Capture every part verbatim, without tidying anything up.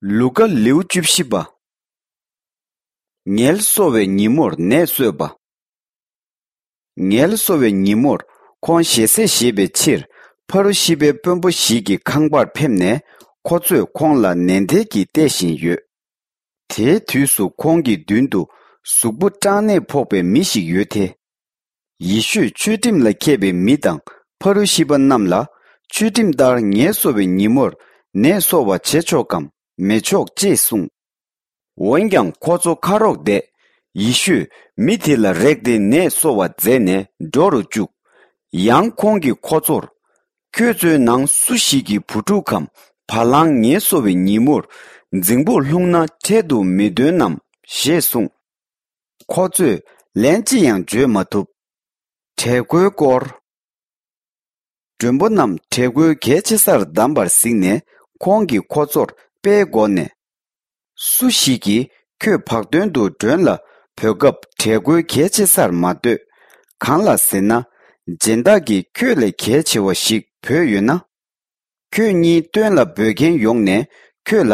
ལུ་ཀ། ལེའུ་བཅུ་བཞི་པ། ངལ་གསོ་བའི་ཉིན་མོར་ནད་གསོས་པ། ངལ་གསོ་བའི་ཉིན་མོར་ཁོང་ཞལ་ཟས་བཞེས་པའི་ཕྱིར། ཕ་རུ་ཤི་པའི་དཔོན་པོ་ཞིག་གི་ཁང་པར་ཕེབས་ནས། ཁོ་ཚོས་ཁོང་ལ་ནན་ཏན་གྱིས་བལྟས་བཞིན་ཡོད། དེའི་དུས་སུ་ཁོང་གི་མདུན་དུ་གཟུགས་པོ་སྐྲག་ནད་ཕོག་པའི་མི་ཞིག་ཡོད་དེ། ཡེ་ཤུས་ཆོས་ཁྲིམས་ལ་མཁས་པའི་མི་དང་ཕ་རུ་ཤི་པ་རྣམས་ལ། ཆོས་ཁྲིམས་ལྟར་ངལ་གསོ་བའི་ཉིན་མོར་ནད་གསོ་བ་བྱེད་ཆོག་གམ་མི་ཆོག་ཅེས་གསུངས། འོན་ཀྱང་ཁོ་ཚོ་ཁ་རོག་བསྡད། ཡེ་ཤུས་མི་དེ་ལ་རེག་སྟེ་ནད་གསོ་བ་མཛད་ནས་འགྲོ་རུ་བཅུག། ཡང་ཁོང་གིས་ཁོ་ཚོར། ཁྱོད་ཚོའི་ནང་སུ་ཞིག་གི་བུ་ཕྲུག་གམ་བ་ལང་ངལ་གསོ་བའི་ཉིན་མོར་རྫིང་བུར་ལྷུང་ན་འཕྲལ་དུ་མི་འདོན་ནམ་ཞེས་གསུངས། ཁོ་ཚོས་ལན་ཅི་ཡང་བརྗོད་མ་ཐུབ། དྲེད་ཁོལ་སྐོར། མགྲོན་པོ་རྣམས་དྲེད་ཁོལ་གལ་ཆེ་སར་བདམས་པར་གཟིགས་ནས། ཁོང་གིས་ཁོ་ཚོར་དཔེའི་སྒོ་ནས། སུ་ཞིག་གིས་ཁྱོད་བག་སྟོན་དུ་མགྲོན་ལ་འབོད་སྐབས་དྲེད་ཁོལ་གལ་ཆེ་སར་མ་འདོད། གང་ལ་ཟེར་ན། སྦྱིན་བདག་གིས་ཁྱོད་ལས་གལ་ཆེ་བ་ཞིག་འབོད་ཡོད་ན། ཁྱོད་གཉིས་སྟོན་ལ་འབོད་མཁན་ཡོང་ནས་ཁྱོད་ལ།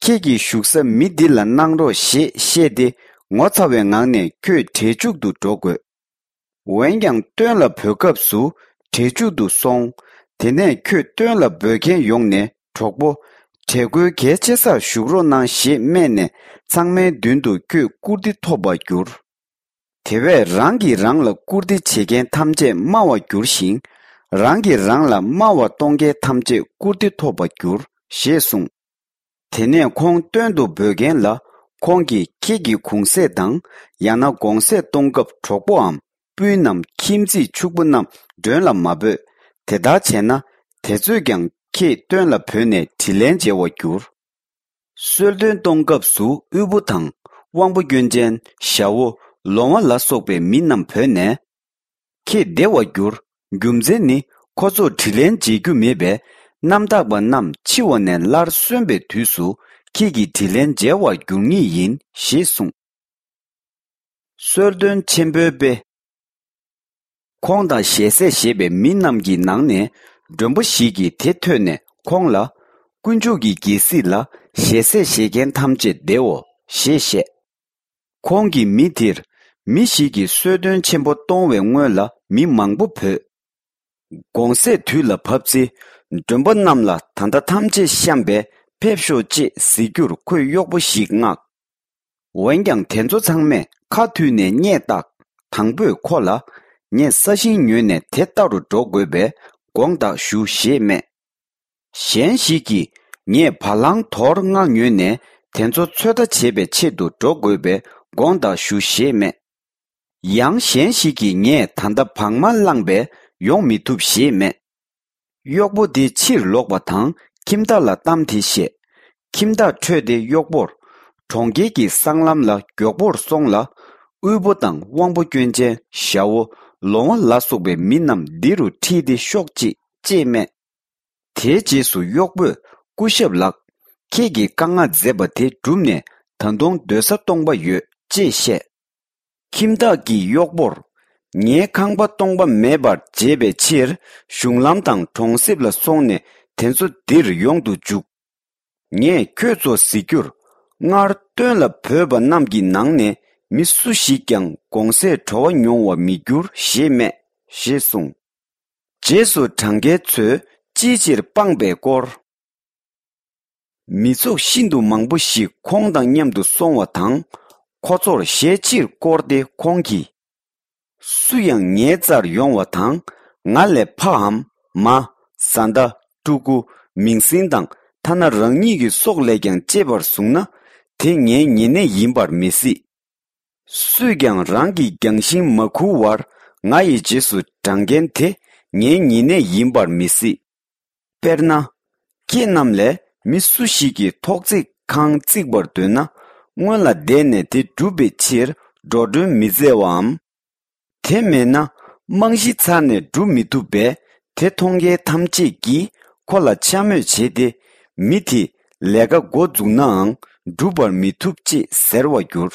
ཁྱེད་ཀྱི་བཞུགས་ས་མི་འདི་ལ་གནང་རོགས་ཞེས་བཤད་དེ། ངོ་ཚ་བའི་ངང་ནས་ཁྱོད་འབྲས་ཕྱུག་ཏུ་འགྲོ་དགོས། འོན་ཀྱང་སྟོན་ལ་འབོད་སྐབས་སུ་འབྲས་ཕྱུག་ཏུ་སོང་། དེ་ནས་ཁྱོད་སྟོན་ལ་འབོད་མཁན་ཡོང་ནས། གྲོགས་པོ། དྲེད་ཁོལ་གལ་ཆེ་སར་བཞུགས་རོགས་གནང་ཞེས་སྨྲས་ནས། ཚང་མའི་མདུན་དུ་ཁྱོད་བཀུར་སྟི་ཐོབ་པར་འགྱུར། དེ་བས་རང་གིས་རང་ལ་བཀུར་སྟི་བྱེད་མཁན་ཐམས་ཅད་དམའ་བར་འགྱུར་ཞིང་། རང་གིས་རང་ལ་དམའ་བ་གཏོང་མཁན་ཐམས་ཅད་བཀུར་སྟི་ཐོབ་པར་འགྱུར་ཞེས་གསུངས། དེ་ནས་ཁོང་སྟོན་དུ་འབོད་མཁན་ལ། ཁོང་གིས་ཁྱེད་ཀྱི་གུང་ཟས་དང་། ཡང་ན་དགོང་ཟས་གཏོང་སྐབས་གྲོགས་པོའམ་སྤུན་ནམ་ཁྱིམ་མཚེས་ཕྱུག་པོ་རྣམས་མགྲོན་ལ་མ་འབོད། དེ་ལྟར་བྱས་ན། དེ་ཚོས་ཀྱང་ཁྱེད་སྟོན་ལ་བོས་ནས་དྲིན་ལན་འཇལ་བར་འགྱུར། གསོལ་སྟོན་གཏོང་སྐབས་སུ་དབུལ་པོ་དང་། དབང་པོ་སྐྱོན་ཅན། ཞ་བོ། ལོང་བ་ལ་སོགས་པའི་མི་རྣམས་བོས་ནས། ཁྱེད་བདེ་བར་འགྱུར། རྒྱུ་མཚན་ནི། ཁོ་ཚོར་དྲིན་ལན་འཇལ་རྒྱུ་མེད་པས། རྣམ་དག་པ་རྣམས་འཆི་བ་ནས་སླར་གསོན་པའི་དུས་སུ། ཁྱེད་ཀྱིས་དྲིན་ལན་འཇལ་བར་འགྱུར་ངེས་ཡིན་ཞེས་གསུངས། གསོལ་སྟོན་ཆེན་པོའི་དཔེ། ཁོང་དང་ཞལ་ཟས་བཞེས་པའི་མི་རྣམས་ཀྱི་ནང་ནས། མགྲོན་པོ་ཞིག་གིས་དེ་ཐོས་ནས་ཁོང་ལ། དཀོན་མཆོག་གི་རྒྱལ་སྲིད་ལ་ཞལ་ཟས་བཞེས་མཁན་ཐམས་ཅད་བདེའོ་ཞེས་བཤད། ཁོང་གིས་མི་དེར། མི་ཞིག་གིས་གསོལ་སྟོན་ཆེན་པོ་གཏོང་བའི་སྔོན་ལ་མི་མང་པོ་བོས། དགོང་ཟས་དུས་ལ་བབ་ཚེ། མགྲོན་པོ་རྣམས་ལ། ད་ལྟ་ཐམས་ཅད་བཤམས་པས་ཕེབས་ཤོག་ཅེས་ཟེར་རྒྱུར་ཁོས་གཡོག་པོ་ཞིག་མངགས། འོན་ཀྱང་དེ་ཚོ་ཚང་མས་ཁ་མཐུད་ནས་སྙད་བཏགས། དང་པོས་ཁོ་ལ། ངས་ས་ཞིང་ཉོས་ནས་དེ་ལྟ་རུ་འགྲོ་དགོས་པས་དགོངས་དག་ཞུ་ཞེས་སྨྲས། གཞན་ཞིག་གིས། ངས་བ་ལང་དོར་ལྔ་ཉོས་ནས་དེ་ཚོ་ཚོད་ལྟ་བྱེད་པའི་ཆེད་དུ་འགྲོ་དགོས་པས་དགོངས་དག་ཞུ་ཞེས་སྨྲས། ཡང་གཞན་ཞིག་གིས། ངས་ད་ལྟ་བག་མ་བླངས་པས་ཡོང་མི་ཐུབ་ཞེས་སྨྲས། གཡོག་པོ་དེ་ཕྱིར་ལོག་པ་དང་ཁྱིམ་བདག་ལ་གཏམ་དེ་བཤད། ཁྱིམ་བདག་ཁྲོས་ཏེ་གཡོག་པོར། གྲོང་ཁྱེར་གྱི་སྲང་ལམ་ལ་མགྱོགས་པོར་སོང་ལ། དབུལ་པོ་དང་དབང་པོ་སྐྱོན་ཅན། ཞ་བོ། ལོང་བ་ལ་སོགས་པའི་མི་རྣམས་འདི་རུ་ཁྲིད་དེ་ཤོག་ཅིག་ཅེས་སྨྲས། དེའི་རྗེས་སུ་གཡོག་པོས། སྐུ་ཞབས་ལགས། ཁྱེད་ཀྱིས་བཀའ་མངགས་མཛད་པ་དེ་བསྒྲུབས་ནས་ད་དུང་སྡོད་ས་སྟོང་པ་ཡོད་ཅེས་བཤད། ཁྱིམ་བདག་གིས་གཡོག་པོར། ངའི་ཁང་པ་སྟོང་པ་མེད་པར་བྱེད་པའི་ཕྱིར་གཞུང་ལམ་དང་གྲོང་གསེབ་ལ་སོང་ནས་དེ་ཚོ་འདིར་ཡོང་དུ་འཇུག། ངས་ཁྱོད་ཚོར་ཟེར་རྒྱུར། སྔར་སྟོན་ལ་བོས་པ་རྣམས་ཀྱི་ནང་ནས་མི་སུ་ཞིག་ཀྱང་དགོང་ཟས་བྲོ་བ་མྱོང་བར་མི་འགྱུར་ཞེས་སྨྲས་ཞེས་གསུངས། རྗེས་སུ་གྲངས་ཀའི་ཚོས་ཅིའི་ཕྱིར་སྤངས་པའི་སྐོར། མི་ཚོགས་ཤིན་ཏུ་མང་པོ་ཞིག་ཁོང་དང་མཉམ་དུ་སོང་བ་དང་། ཁོ་ཚོར་ཞལ་ཕྱིར་བསྐོར་ཏེ་ཁོང་གིས། སུ་ཡང་ངའི་རྩར་ཡོང་བ་དང་། ང་ལས་ཕའམ། མ། བཟའ་ཟླ། ཕྲུ་གུ། མིང་སྲིང་དང་ཐ་ན་རང་ཉིད་ཀྱི་སྲོག་ལས་ཀྱང་གཅེས་པར་བཟུང་ན། དེ་ངའི་ཉེ་གནས་ཡིན་པར་མི་སྲིད། སུས་ཀྱང་རང་གི་རྒྱང་ཤིང་མ་ཁུར་བར་ང་ཡི་རྗེས་སུ་འབྲང་མཁན་དེ་ངའི་ཉེ་གནས་ཡིན་པར་མི་སྲིད། དཔེར་ན། ཁྱེད་རྣམས་ལས་མི་སུ་ཞིག་གིས་ཐོག་བརྩེགས་ཁང་བརྩིག་པར་འདོད་ན། སྔོན་ལ་བསྡད་ནས་དེ་བསྒྲུབ་པའི་ཕྱིར་འགྲོ་གྲོན་མི་འཛེམ་བའམ། དེ་མེད་ན་རྨང་གཞི་ཚར་ནས་སྒྲུབ་མི་ཐུབ་པས། དེ་མཐོང་མཁན་ཐམས་ཅད་ཀྱིས་ཁོ་ལ་འཕྱ་སྨོད་བྱས་ཏེ། མི་དེས་ལས་ཀ་འགོ་འཛུགས་ནའང་སྒྲུབ་པར་མི་ཐུབ་ཅེས་ཟེར་བར་འགྱུར།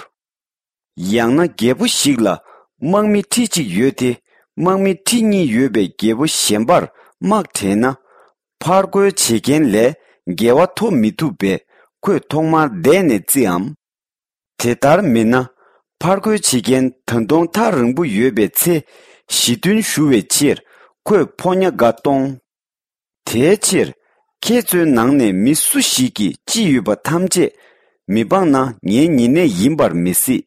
ཡང་ན་རྒྱལ་པོ་ཞིག་ལ་དམག་མི་ཁྲི་གཅིག་ཡོད་དེ། དམག་མི་ཁྲི་གཉིས་ཡོད་པའི་རྒྱལ་པོ་གཞན་པར་དམག་བྲལ་ན། ཕར་རྒོལ་བྱེད་མཁན་ལས་འགལ་བ་ཐོབ་མི་ཐུབ་པས། ཁོས་ཐོག་མར་བསྡད་ནས་བརྩིའམ། དེ་ལྟར་མིན་ན། ཕར་རྒོལ་བྱེད་མཁན་ད་དུང་ཐག་རིང་པོ་ཡོད་པའི་ཚེ། ཞི་མཐུན་ཞུ་བའི་ཕྱིར་ཁོས་ཕོ་ཉ་འགའ་གཏོང་། དེའི་ཕྱིར། ཁྱེད་ཚོའི་ནང་ནས་མི་སུ་ཞིག་གིས་ཅི་ཡོད་པ་ཐམས་ཅད་མི་སྤང་ན་ངའི་ཉེ་གནས་ཡིན་པར་མི་སྲིད།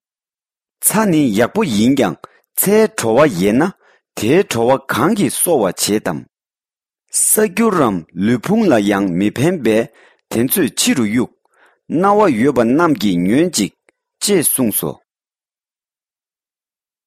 ཚྭ་ནི་ཡག་པོ་ཡིན་ཀྱང་ཚྭའི་བྲོ་བ་ཡལ་ན་དེའི་བྲོ་བ་གང་གིས་གསོ་བར་བྱེད་དམ། ས་སྐྱུར་རམ་ལུས་ཕུང་ལ་ཡང་མི་ཕན་པས་དེ་ཚོས་ཕྱི་རུ་གཡུག། རྣ་བ་ཡོད་པ་རྣམས་ཀྱིས་ཉོན་ཅིག །ཅེས་གསུངས་སོ།